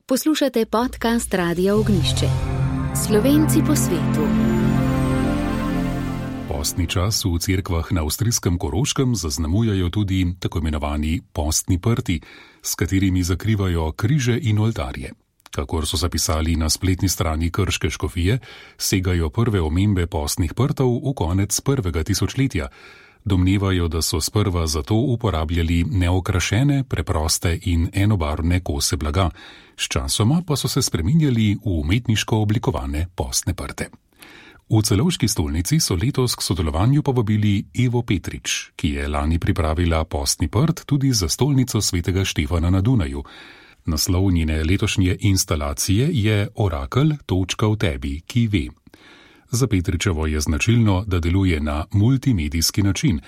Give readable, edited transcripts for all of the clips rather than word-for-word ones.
Poslušate podcast Radia Ognjišče. Slovenci po svetu. Postni čas v cerkvah na avstrijskem Koroškem zaznamujejo tudi tako imenovani postni prti, s katerimi zakrivajo križe in oltarje. Kakor so zapisali na spletni strani krške škofije, segajo prve omembe postnih prtov v konec prvega tisočletja. Domnevajo, da so sprva zato uporabljali neokrašene, preproste in enobarvne kose blaga, sčasoma pa so se spreminjali v umetniško oblikovane postne prte. V Celovški stolnici so letos k sodelovanju povabili Evo Petrič, ki je lani pripravila postni prt tudi za stolnico svetega Štefana na Dunaju. Naslov njene letošnje instalacije je Orakelj, točka v tebi, ki ve. Za Petričevo je značilno, da deluje na multimedijski način.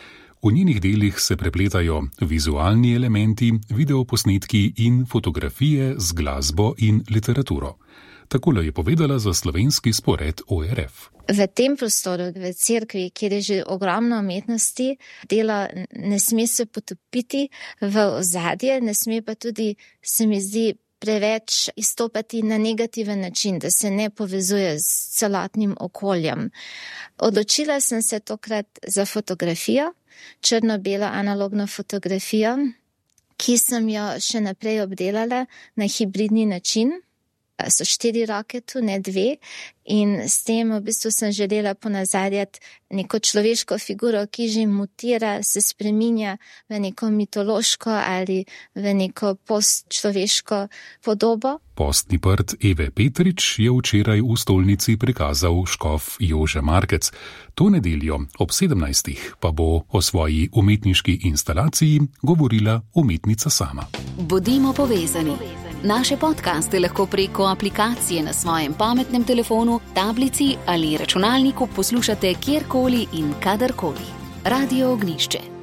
V njenih delih se prepletajo vizualni elementi, videoposnetki in fotografije z glasbo in literaturo. Takole je povedala za slovenski spored ORF. V tem prostoru, v cerkvi, kjer je že ogromno umetnosti, dela ne sme se potopiti v ozadje, ne sme pa tudi, se mi zdi, preveč izstopati na negativen način, da se ne povezuje s celotnim okoljem. Odločila sem se tokrat za fotografijo, črno-belo analogno fotografijo, ki sem jo še naprej obdelala na hibridni način. So 4 roke tu, ne 2, in s tem v bistvu sem želela ponazarjati neko človeško figuro, ki že mutira, se spreminja v neko mitološko ali v neko postčloveško podobo. Postni prt Eve Petrič je včeraj v stolnici prikazal škof Jože Markec. To nedeljo ob 17. pa bo o svoji umetniški instalaciji govorila umetnica sama. Bodimo povezani. Naše podcaste lahko preko aplikacije na svojem pametnem telefonu, tablici ali računalniku poslušate kjerkoli in kadarkoli. Radio Ognjišče.